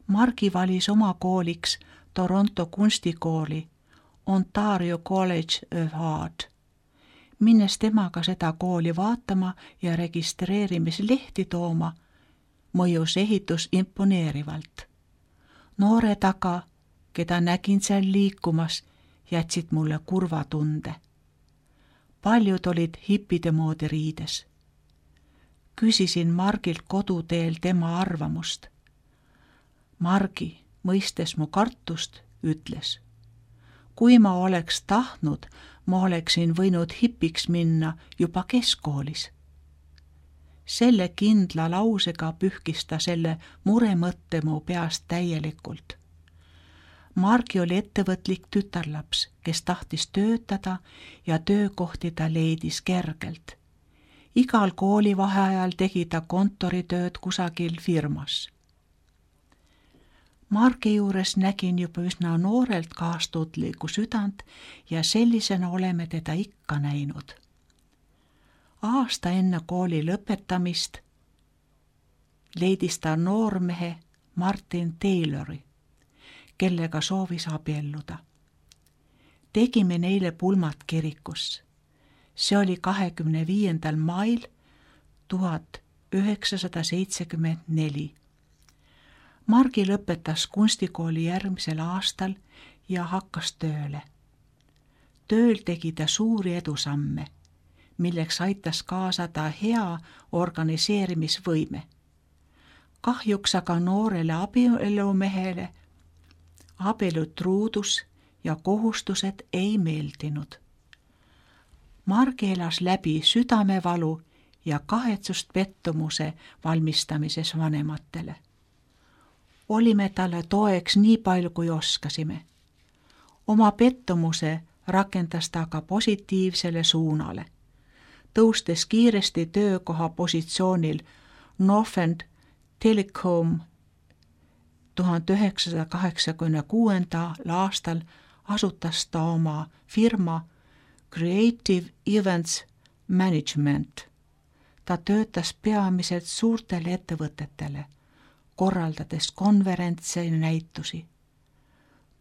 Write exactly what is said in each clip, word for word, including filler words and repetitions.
Margi valis oma kooliks Toronto kunstikooli Ontario College of Art. Minnes temaga seda kooli vaatama ja registreerimislehti tooma, mõjus ehitus imponeerivalt. Noore taga, keda nägin seal liikumas, jätsid mulle kurva tunde. Paljud olid hippide moodi riides. Küsisin Margilt koduteel tema arvamust. Margi, mõistes mu kartust, ütles: kui ma oleks tahtnud, ma oleksin võinud hipiks minna juba keskkoolis. Selle kindla lausega pühkis ta selle muremõtte mu peast täielikult. Margi oli ettevõtlik tütarlaps, kes tahtis töötada ja töökohti ta leidis kergelt. Igal koolivaheajal tegi ta kontoritööd kusagil firmas. Margi juures nägin juba üsna noorelt kaastundlikku südant ja sellisena oleme teda ikka näinud. Aasta enne kooli lõpetamist leidis ta noormehe Martin Taylori, kellega soovis abielluda. Tegime neile pulmad kirikus. See oli kahekümne viiendal mail tuhat üheksasada seitsekümmend neli. Margi lõpetas kunstikooli järgmisel aastal ja hakkas tööle. Tööl tegi ta suuri edusamme, milleks aitas kaasa ta hea organiseerimisvõime. Kahjuks aga noorele abielumehele abielutruudus ja kohustused ei meeldinud. Margi elas läbi südamevalu ja kahetsust pettumuse valmistamises vanematele. Olime talle toeks nii palju, kui oskasime. Oma pettumuse rakendas ta aga positiivsele suunale. Tõustes kiiresti töökoha positsioonil Northern Telecom tuhat üheksasada kaheksakümne kuuendal aastal asutas ta oma firma Creative Events Management. Ta töötas peamiselt suurtele ettevõtetele, korraldades konverentse ja näitusi.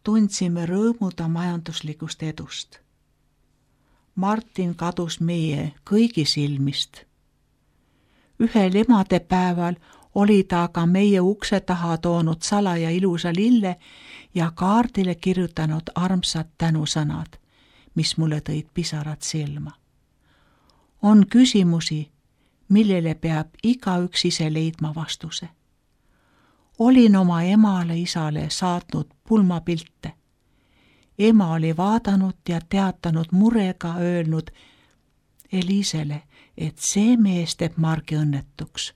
Tundsime rõõmu ta majanduslikust edust. Martin kadus meie kõigi silmist. Ühel emadepäeval oli ta aga meie ukse taha toonud salaja ilusa lille ja kaardile kirjutanud armsad tänusõnad, mis mulle tõid pisarad silma. On küsimusi, millele peab igaüks ise leidma vastuse. Olin oma emale isale saatnud pulmapilte. Ema oli vaadanud ja teatanud murega öelnud Elisele, et see mees teeb Margi õnnetuks.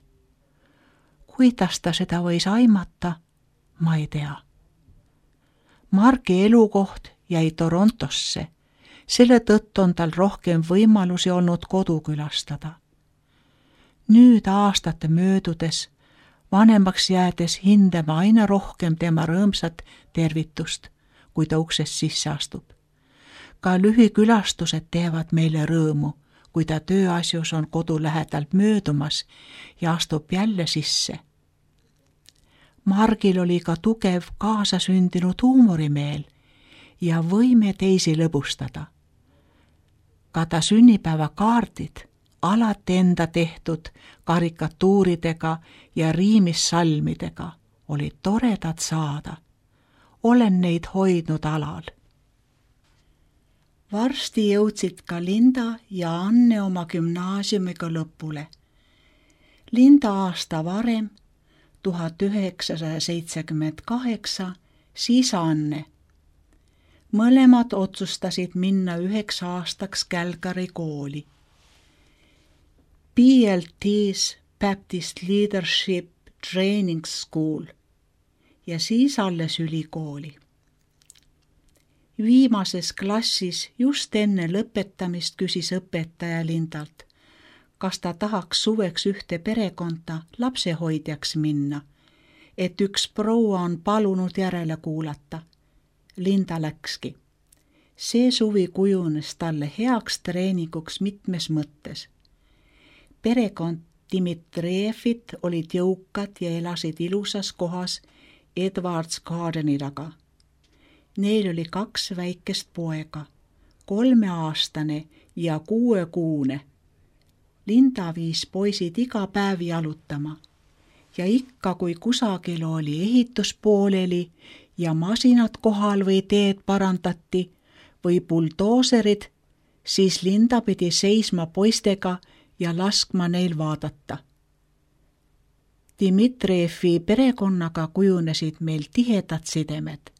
Kuidas ta seda võis aimata, ma ei tea. Margi elukoht jäi Torontosse, selle tõttu on tal rohkem võimalusi olnud kodu külastada. Nüüd aastate möödudes, vanemaks jäädes hindama aina rohkem tema rõõmsat tervitust, kui ta uksest sisse astub. Ka lühikülastused teevad meile rõõmu, kui ta tööasjus on kodu lähedalt möödumas ja astub jälle sisse. Margil oli ka tugev kaasasündinud huumorimeel ja võime teisi lõbustada. Ka ta sünnipäevakaardid, alati enda tehtud karikatuuridega ja riimissalmidega, olid toredad saada. Olen neid hoidnud alal. Varsti jõudsid ka Linda ja Anne oma gümnaasiumiga lõpule. Linda aasta varem, tuhat üheksasada seitsekümmend kaheksa, siis Anne. Mõlemad otsustasid minna üheks aastaks Calgary kooli. B L T's Baptist Leadership Training School ja siis alles ülikooli. Viimases klassis just enne lõpetamist küsis õpetaja Lindalt, kas ta tahaks suveks ühte perekonda lapsehoidjaks minna, et üks proua on palunud järele kuulata. Linda läkski. See suvi kujunes talle heaks treeninguks mitmes mõttes. Perekond Dmitrievit olid jõukad ja elasid ilusas kohas Edwards Gardeni taga. Neil oli kaks väikest poega, kolmeaastane ja kuuekuune. Linda viis poisid iga päev jalutama ja ikka, kui kusagil oli ehitus pooleli ja masinad kohal või teed parandati või buldooserid, siis Linda pidi seisma poistega ja laskma neil vaadata. Dmitrijevi perekonnaga kujunesid meil tihedad sidemed,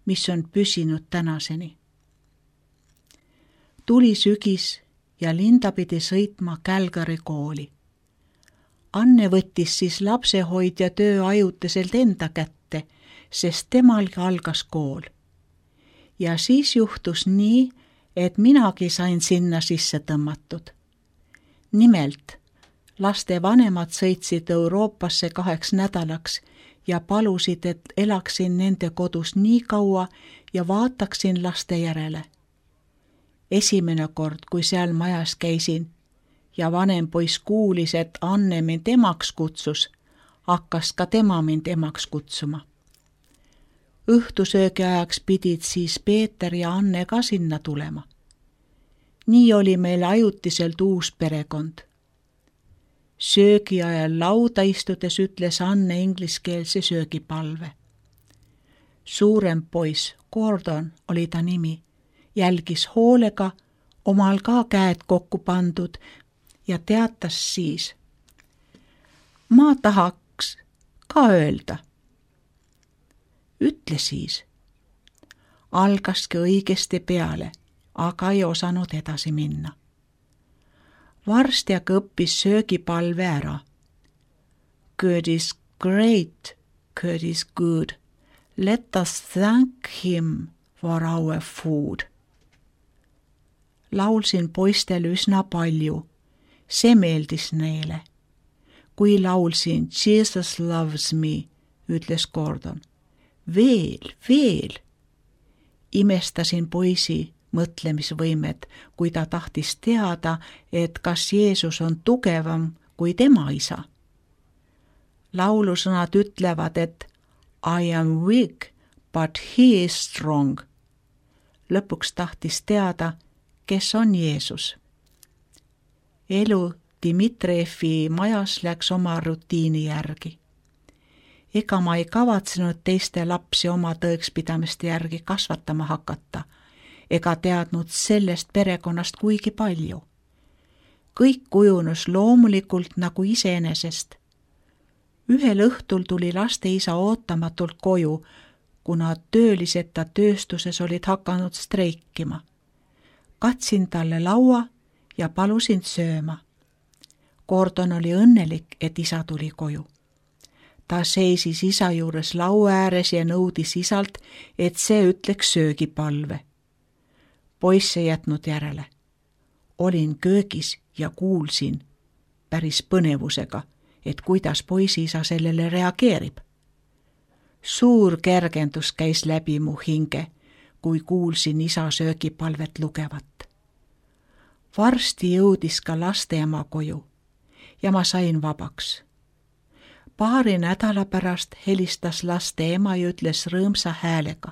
mis on püsinud tänaseni. Tuli sügis ja Linda pidi sõitma Calgary kooli. Anne võttis siis lapsehoidja töö ajutiselt enda kätte, sest temalgi algas kool. Ja siis juhtus nii, et minagi sain sinna sisse tõmmatud. Nimelt, laste vanemad sõitsid Euroopasse kaheks nädalaks ja palusid, et elaksin nende kodus nii kaua ja vaataksin laste järele. Esimene kord, kui seal majas käisin ja vanem poiss kuulis, et Anne mind emaks kutsus, hakkas ka tema mind emaks kutsuma. Õhtusöögi ajaks pidid siis Peeter ja Anne ka sinna tulema. Nii oli meil ajutiselt uus perekond. Söögi ajal lauda istudes ütles Anne ingliskeelse söögipalve. Suurem poiss, Gordon oli ta nimi, jälgis hoolega, omal ka käed kokku pandud ja teatas siis. Ma tahaks ka öelda. Ütle siis. Algaski õigesti peale, aga ei osanud edasi minna. Varsti aga õppis söögipalve ära. Good is great, good is good. Let us thank him for our food. Laulsin poistele üsna palju. See meeldis neile. Kui laulsin Jesus loves me, ütles Gordon. Veel, veel. Imestasin poisi mõtlemisvõimet, kui ta tahtis teada, et kas Jeesus on tugevam kui tema isa. Laulusõnad ütlevad, et I am weak, but he is strong. Lõpuks tahtis teada, kes on Jeesus. Elu Dmitrijevi majas läks oma rutiini järgi. Ega ma ei kavatsenud teiste lapsi oma tõekspidamiste järgi kasvatama hakata, ega teadnud sellest perekonnast kuigi palju. Kõik kujunus loomulikult nagu iseenesest. Ühel õhtul tuli laste isa ootamatult koju, kuna tööliseta tööstuses olid hakanud streikima. Katsin talle laua ja palusin sööma. Gordon oli õnnelik, et isa tuli koju. Ta seisis isa juures laua ääres ja nõudis isalt, et see ütleks söögipalve. Poiss ei jätnud järele. Olin köögis ja kuulsin päris põnevusega, et kuidas poisiisa sellele reageerib. Suur kergendus käis läbi mu hinge, kui kuulsin isa söögipalvet lugevat. Varsti jõudis ka laste ema koju ja ma sain vabaks. Paari nädala pärast helistas laste ema ja ütles rõõmsa häälega.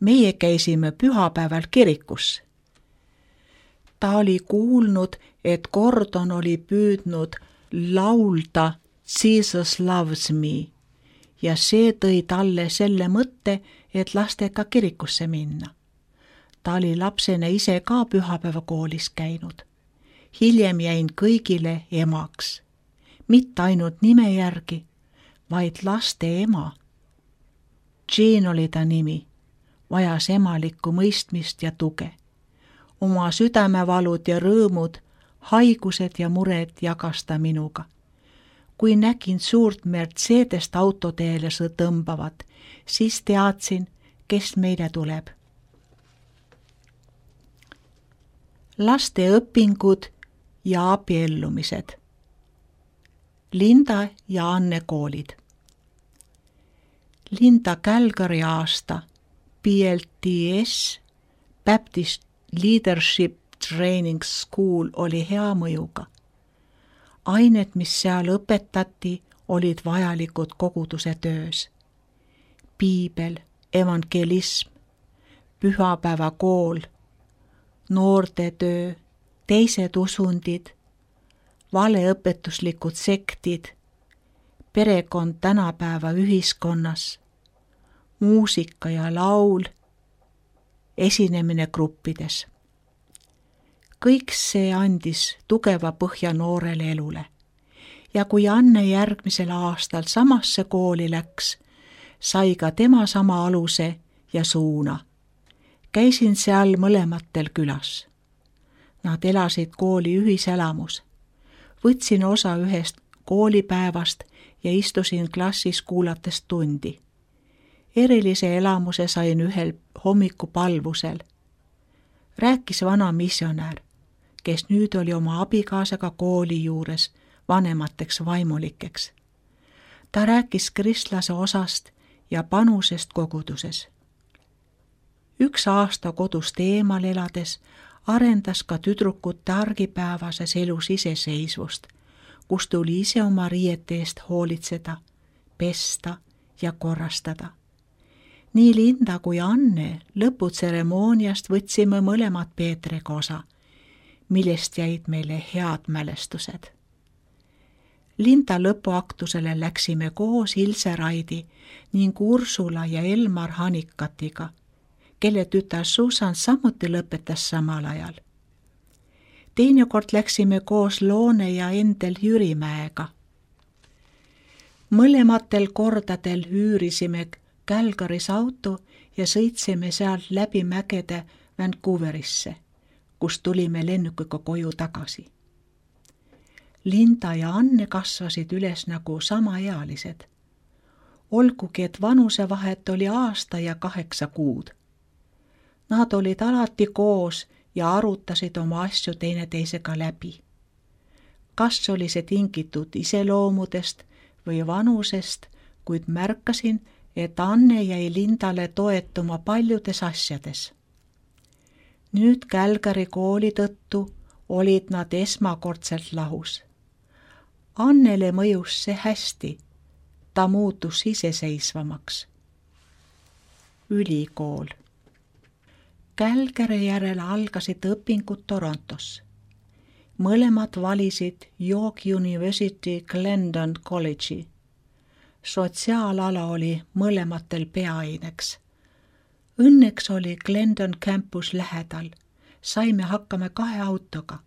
Meie käisime pühapäeval kirikus. Ta oli kuulnud, et Gordon oli püüdnud laulda Jesus loves me ja see tõi talle selle mõtte, et lastega kirikusse minna. Ta oli lapsena ise ka pühapäevakoolis käinud. Hiljem jäin kõigile emaks. Mitte ainult nime järgi, vaid laste ema. Jean oli ta nimi, vajas emalikku mõistmist ja tuge. Oma südamevalud ja rõõmud, haigused ja mured jagas ta minuga. Kui nägin suurt Mercedest autoteele tõmbavat, siis teadsin, kes meile tuleb. Laste õpingud ja abiellumised. Linda ja Anne koolid. Linda Calgary aasta B L T S Baptist Leadership Training School oli hea mõjuga. Ained, mis seal õpetati, olid vajalikud koguduse töös. piibel, evangelism, pühapäevakool, noortetöö, teised usundid, valeõpetuslikud sektid, perekond tänapäeva ühiskonnas, muusika ja laul, esinemine gruppides. Kõik see andis tugeva põhja noorele elule ja kui Anne järgmisel aastal samasse kooli läks, sai ka tema sama aluse ja suuna. Käisin seal mõlematel külas. Nad elasid kooli ühiselamus. Võtsin osa ühest koolipäevast ja istusin klassis kuulates tundi. Erilise elamuse sain ühel hommikupalvusel. Rääkis vana missionär, kes nüüd oli oma abikaasaga kooli juures vanemateks vaimulikeks. Ta rääkis kristlase osast ja panusest koguduses. Üks aasta kodust eemal elades arendas ka tüdrukute argipäevases elus iseseisvust, kus tuli ise oma riiete eest hoolitseda, pesta ja korrastada. Nii Linda kui Anne lõputseremooniast võtsime mõlemad Peetriga osa, millest jäid meile head mälestused. Linda lõpuaktusele läksime koos Ilse Raidi ning Ursula ja Elmar Hanikatiga, kelle tütar Susan samuti lõpetas samal ajal. Teinekord läksime koos Loone ja Endel Jürimäega. Mõlematel kordadel üürisime Calgarys auto ja sõitsime sealt läbi mägede Vancouverisse, kus tulime lennukiga koju tagasi. Linda ja Anne kasvasid üles nagu samaealised. Olgugi, et vanusevahet oli aasta ja kaheksa kuud. Nad olid alati koos ja arutasid oma asju teineteisega läbi. Kas oli see tingitud iseloomudest või vanusest, kuid märkasin, et Anne jäi Lindale toetuma paljudes asjades. Nüüd Calgary kooli tõttu olid nad esmakordselt lahus. Annele mõjus see hästi, ta muutus iseseisvamaks. Ülikool. Calgary järel algasid õpingud Torontos. Mõlemad valisid York University Glendon College'i. Sotsiaalala oli mõlematel peaaineks. Õnneks oli Glendon campus lähedal. Saime hakkama kahe autoga.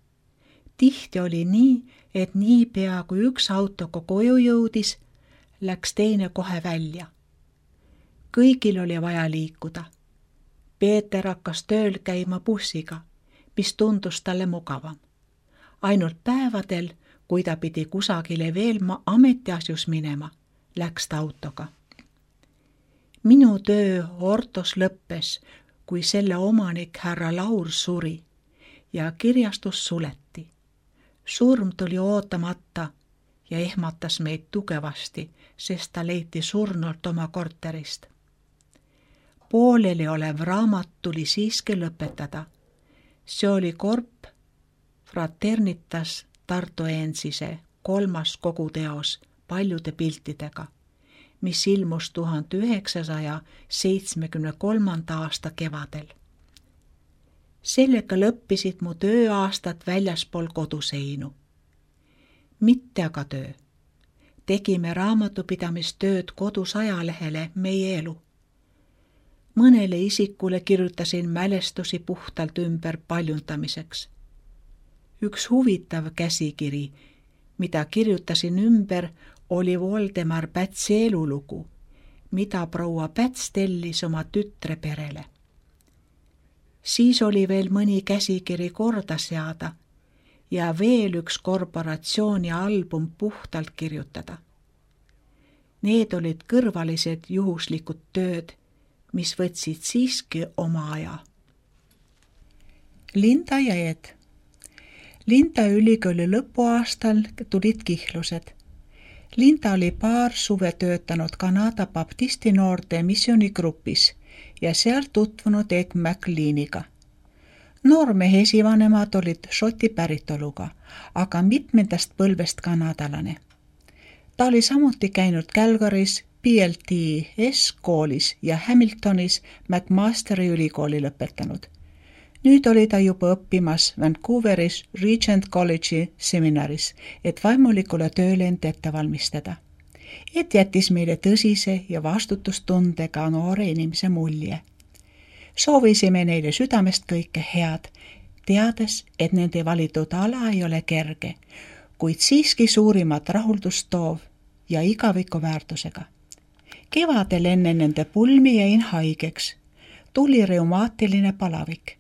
Tihti oli nii, et nii pea kui üks autoga koju jõudis, läks teine kohe välja. Kõigil oli vaja liikuda. Peeter hakkas tööl käima bussiga, mis tundus talle mugavam. Ainult päevadel, kui ta pidi kusagile veel ametiasjus minema, läks ta autoga. Minu töö Ortos lõppes, kui selle omanik härra Laur suri ja kirjastus suleti. Surm tuli ootamata ja ehmatas meid tugevasti, sest ta leiti surnult oma korterist. Pooleli olev raamat tuli siiski lõpetada. See oli Korp Fraternitas Tartuensise kolmas koguteos paljude piltidega, mis ilmus tuhande üheksasaja seitsmekümne kolmanda aasta kevadel. Sellega lõppisid mu tööaastad väljaspool koduseinu. Mitte aga töö. Tegime raamatupidamistööd kodus ajalehele Meie elu. Mõnele isikule kirjutasin mälestusi puhtalt ümber paljundamiseks. Üks huvitav käsikiri, mida kirjutasin ümber, oli Voldemar Pätsi elulugu, mida proua Päts tellis oma tütre perele. Siis oli veel mõni käsikiri korda seada ja veel üks korporatsiooni album puhtalt kirjutada. Need olid kõrvalised juhuslikud tööd, mis võtsid siiski oma aja. Linda ja Ed. Linda ülikooli lõpuaastal tulid kihlused. Linda oli paar suve töötanud Kanada baptisti noorte missioonigrupis ja seal tutvunud Ed McLeaniga. Noormehe esivanemad olid šoti päritoluga, aga mitmendast põlvest kanadalane. Ta oli samuti käinud Calgarys B L T S-koolis ja Hamiltonis McMasteri ülikooli lõpetanud. Nüüd oli ta juba õppimas Vancouveris Regent College'i seminaris, et vaimulikule tööle end ette valmistada. Et jättis meile tõsise ja vastutustundega noore inimese mulje. Soovisime neile südamest kõike head, teades, et nende valitud ala ei ole kerge, kuid siiski suurimat rahuldust toov ja igaviku väärtusega. Kevadel enne nende pulmi jäin haigeks. Tuli reumaatiline palavik.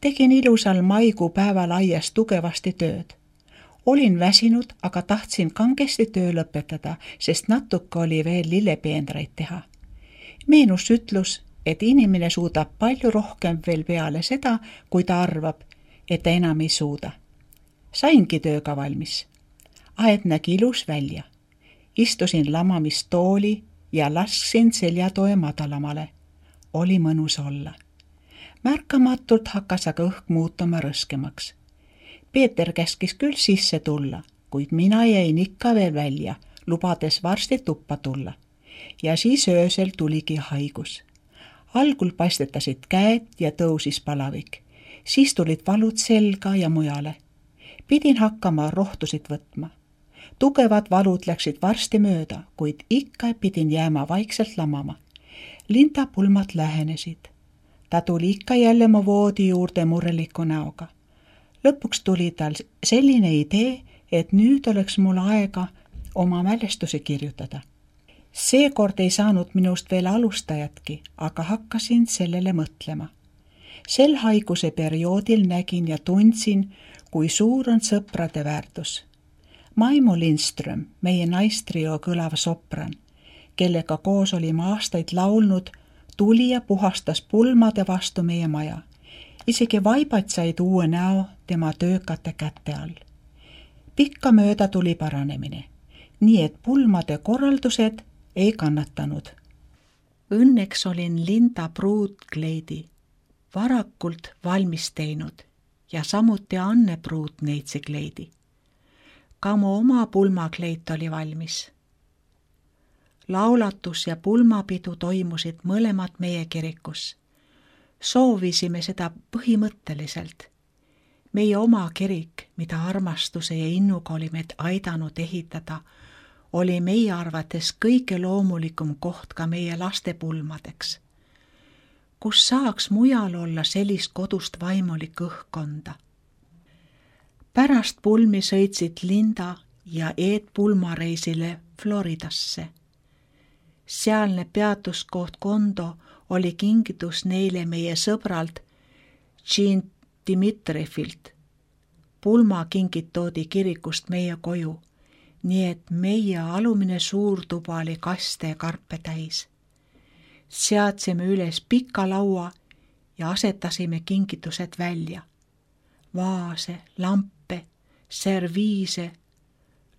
Tegin ilusal maikuu päeval aias tugevasti tööd. Olin väsinud, aga tahtsin kangesti töö lõpetada, sest natuke oli veel lillepeenreid teha. Meenus ütlus, et inimene suudab palju rohkem veel peale seda, kui ta arvab, et ta enam ei suuda. Saingi tööga valmis. Aed nägi ilus välja. Istusin lamamistooli ja lasksin seljatoe madalamale. Oli mõnus olla. Märkamatult hakkas aga õhk muutuma rõskemaks. Peeter käskis küll sisse tulla, kuid mina jäin ikka veel välja, lubades varsti tuppa tulla. Ja siis öösel tuligi haigus. Algul paistetasid käed ja tõusis palavik. Siis tulid valud selga ja mujale. Pidin hakkama rohtusid võtma. Tugevad valud läksid varsti mööda, kuid ikka pidin jääma vaikselt lamama. Linda pulmad lähenesid. Ta tuli ikka jälle mu voodi juurde mureliku näoga. Lõpuks tuli tal selline idee, et nüüd oleks mul aega oma mälestusi kirjutada. Seekord ei saanud minust veel alustajatki, aga hakkasin sellele mõtlema. Sel haiguse perioodil nägin ja tundsin, kui suur on sõprade väärtus. Maimo Lindström, meie naistrio kõlav sopran, kellega koos olime aastaid laulnud, tuli ja puhastas pulmade vastu meie maja. Isegi vaibad said uue näo tema töökate kätte all. Pikka mööda tuli paranemine, nii et pulmade korraldused ei kannatanud. Õnneks olin Linda pruutkleidi varakult valmis teinud ja samuti Anne pruut neitsikleidi. Ka mu oma pulmakleit oli valmis. Laulatus ja pulmapidu toimusid mõlemad meie kirikus. Soovisime seda põhimõtteliselt. Meie oma kirik, mida armastuse ja innuga oli meid aidanud ehitada, oli meie arvates kõige loomulikum koht ka meie laste pulmadeks. Kus saaks mujal olla sellist kodust vaimulik õhkkonda. Pärast pulmi sõitsid Linda ja Eed pulmareisile Floridasse. Sealne peatuskoht Kondo oli kingitus neile meie sõbralt Jean Dimitrifilt. Pulma kingid toodi kirikust meie koju, nii et meie alumine suurtuba oli kaste ja karpe täis. Seadsime üles pika laua ja asetasime kingitused välja. Vaase, lampe, serviise,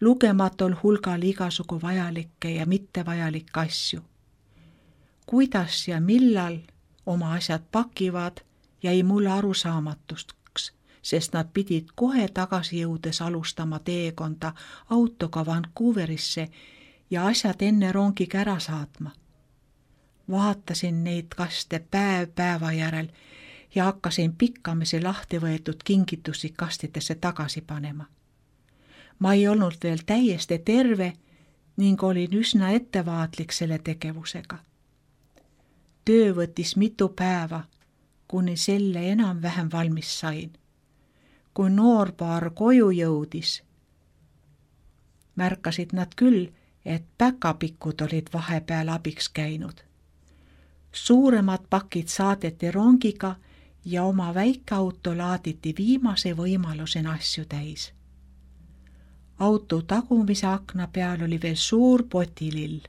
lugematul hulgal igasugu vajalikke ja mittevajalikke asju. Kuidas ja millal oma asjad pakivad, jäi mulle arusaamatuks, sest nad pidid kohe tagasi jõudes alustama teekonda autoga Vancouverisse ja asjad enne rongiga ära saatma. Vaatasin neid kaste päev päeva järel ja hakkasin pikkamisi lahti võetud kingitusi kastidesse tagasi panema. Ma ei olnud veel täiesti terve ning olin üsna ettevaatlik selle tegevusega. Töö võttis mitu päeva, kuni selle enam-vähem valmis sain. Kui noorpaar koju jõudis, märkasid nad küll, et päkapikud olid vahepeal abiks käinud. Suuremad pakid saadeti rongiga ja oma väikeauto laaditi viimase võimalusena asju täis. Auto tagumise akna peal oli veel suur potilill,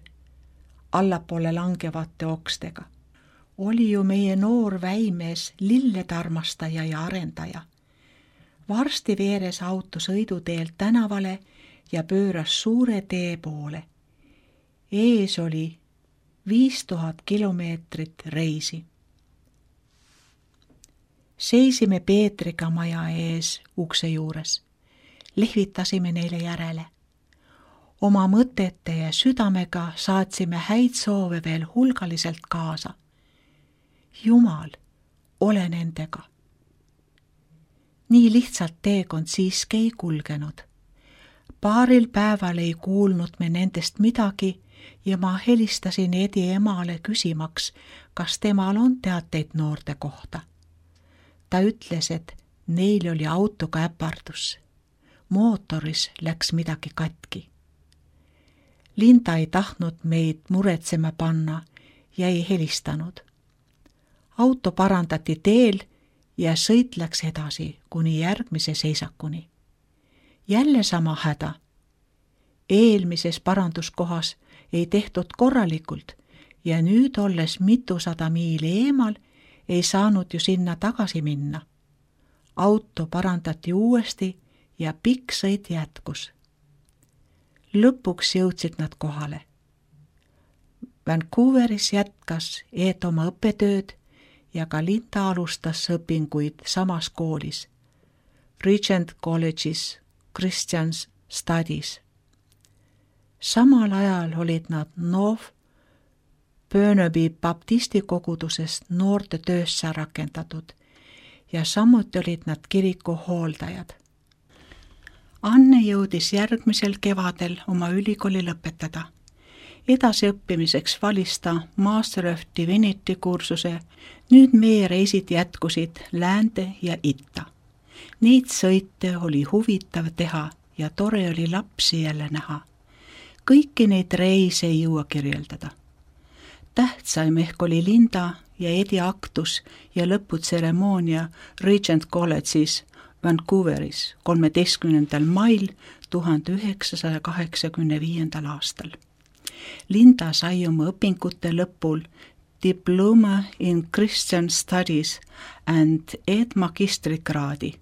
allapoole langevate okstega. Oli ju meie noor väimees lillede armastaja ja arendaja. Varsti veeres auto sõiduteelt tänavale ja pööras suure tee poole. Ees oli viis tuhat kilomeetrit reisi. Seisime Peetriga maja ees ukse juures. Lehvitasime neile järele. Oma mõtete ja südamega saatsime häid soove veel hulgaliselt kaasa. Jumal, ole nendega. Nii lihtsalt teekond siiski ei kulgenud. Paaril päeval ei kuulnud me nendest midagi ja ma helistasin Edi emale küsimaks, kas temal on teateid noorte kohta. Ta ütles, et neil oli autoga äpardus. Mootoris läks midagi katki. Linda ei tahtnud meid muretsema panna ja ei helistanud. Auto parandati teel ja sõit läks edasi kuni järgmise seisakuni. Jälle sama häda. Eelmises paranduskohas ei tehtud korralikult ja nüüd olles mitusada miili eemal ei saanud ju sinna tagasi minna. Auto parandati uuesti ja pikk sõit jätkus. Lõpuks jõudsid nad kohale. Vancouveris jätkas Eet oma õppetööd ja ka Linda alustas õpinguid samas koolis, Regent College'is Christian Studies. Samal ajal olid nad North Burnaby baptisti kogudusest noorte töösse rakendatud ja samuti olid nad kiriku hooldajad. Anne jõudis järgmisel kevadel oma ülikooli lõpetada. Edasiõppimiseks valis ta Master of Divinity kursuse, nüüd meie reisid jätkusid läände ja itta. Neid sõite oli huvitav teha ja tore oli lapsi jälle näha. Kõiki neid reise ei jõua kirjeldada. Tähtsaim ehk oli Linda ja Edi aktus ja lõputseremoonia Regent College'is Vancouveris kolmeteistkümnendal mail tuhande üheksasaja kaheksakümne viiendal aastal. Linda sai oma õpingute lõpul Diploma in Christian Studies and Ed magistrikraadi.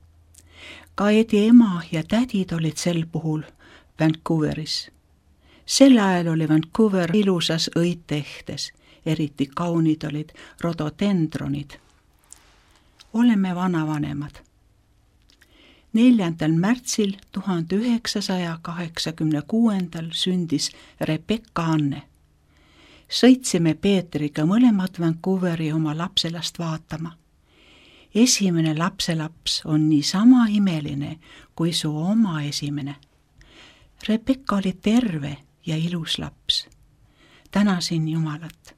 Ka Edi ema ja tädid olid sel puhul Vancouveris. Sel ajal oli Vancouver ilusas õitehtes, eriti kaunid olid rododendronid. Oleme vanavanemad. neljandal märtsil tuhande üheksasaja kaheksakümne kuuendal sündis Rebecca Anne. Sõitsime Peetriga mõlemad Vancouveri oma lapselast vaatama. Esimene lapselaps on nii sama imeline kui su oma esimene. Rebecca oli terve ja ilus laps. Tänasin Jumalat.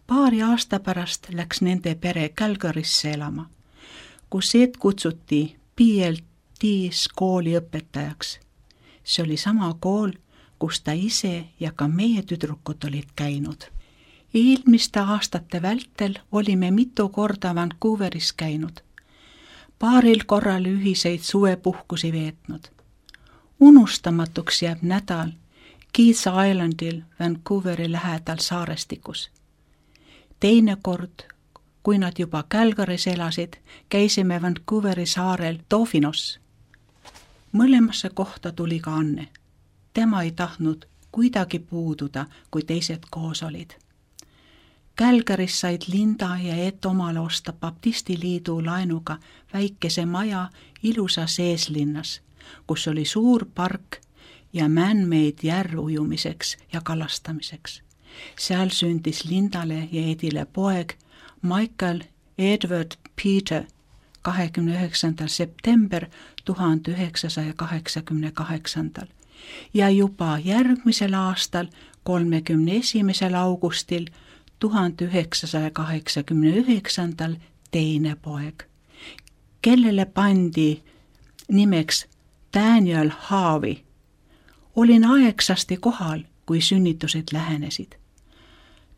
Paari aasta pärast läks nende pere Calgarysse elama, kus Ed kutsuti P L T-s kooli õpetajaks. See oli sama kool, kus ta ise ja ka meie tüdrukud olid käinud. Eelmiste aastate vältel olime mitu korda Vancouveris käinud. Paaril korral ühiseid suvepuhkusi veetnud. Unustamatuks jääb nädal Keats Islandil Vancouveri lähedal saarestikus. Teine kord, kui nad juba Calgarys elasid, käisime Vancouveri saarel Dauphino's. Mõlemasse kohta tuli ka Anne. Tema ei tahtnud kuidagi puududa, kui teised koos olid. Calgarys said Linda ja Ed omale osta baptistiliidu laenuga väikese maja ilusas eeslinnas, kus oli suur park ja man-made järv ujumiseks ja kalastamiseks. Seal sündis Lindale ja Edile poeg Michael Edward Peter kahekümne üheksandal september tuhande üheksasaja kaheksakümne kaheksandal ja juba järgmisel aastal kolmekümne esimesel augustil tuhande üheksasaja kaheksakümne üheksandal teine poeg, kellele pandi nimeks Daniel Harvey. Olin aegsasti kohal, kui sünnitused lähenesid.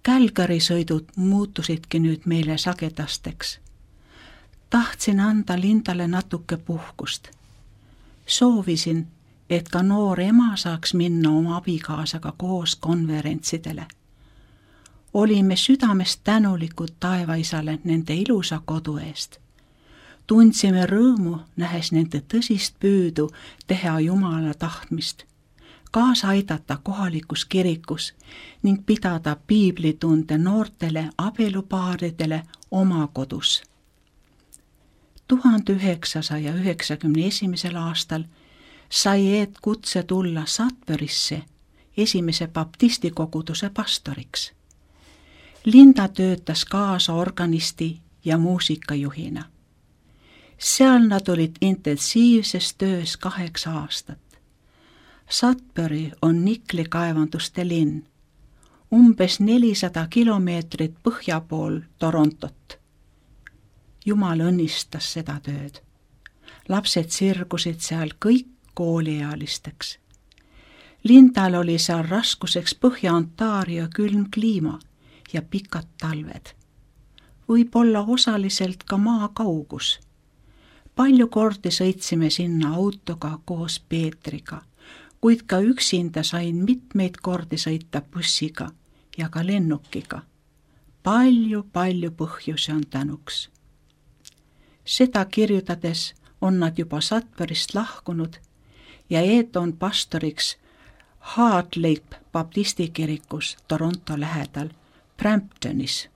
Calgary sõidud muutusidki nüüd meile sagedasteks. Tahtsin anda Lindale natuke puhkust. Soovisin, et ka noor ema saaks minna oma abikaasaga koos konverentsidele. Olime südamest tänulikud taevaisale nende ilusa kodu eest. Tundsime rõõmu, nähes nende tõsist püüdu teha Jumala tahtmist, kaasa aidata kohalikus kirikus ning pidada piiblitunde noortele abielupaaridele oma kodus. tuhande üheksasaja üheksakümne esimesel aastal sai Eet kutse tulla Sudburysse esimese baptistikoguduse pastoriks. Linda töötas kaasa organisti ja muusikajuhina. Seal nad olid intensiivses töös kaheksa aastat. Sudbury on niklikaevanduste linn, umbes nelisada kilomeetrit põhja pool Torontot. Jumal õnnistas seda tööd. Lapsed sirgusid seal kõik kooliealisteks. Lindal oli seal raskuseks Põhja-Ontario külm kliima ja pikad talved. Võib-olla osaliselt ka maa kaugus. Palju kordi sõitsime sinna autoga koos Peetriga, kuid ka üksinda sain mitmeid kordi sõita bussiga ja ka lennukiga. Palju-palju põhjusi on tänuks. Seda kirjutades on nad juba Sudburyst lahkunud ja Eet on pastoriks Heart Leap baptistikirikus Toronto lähedal Bramptonis.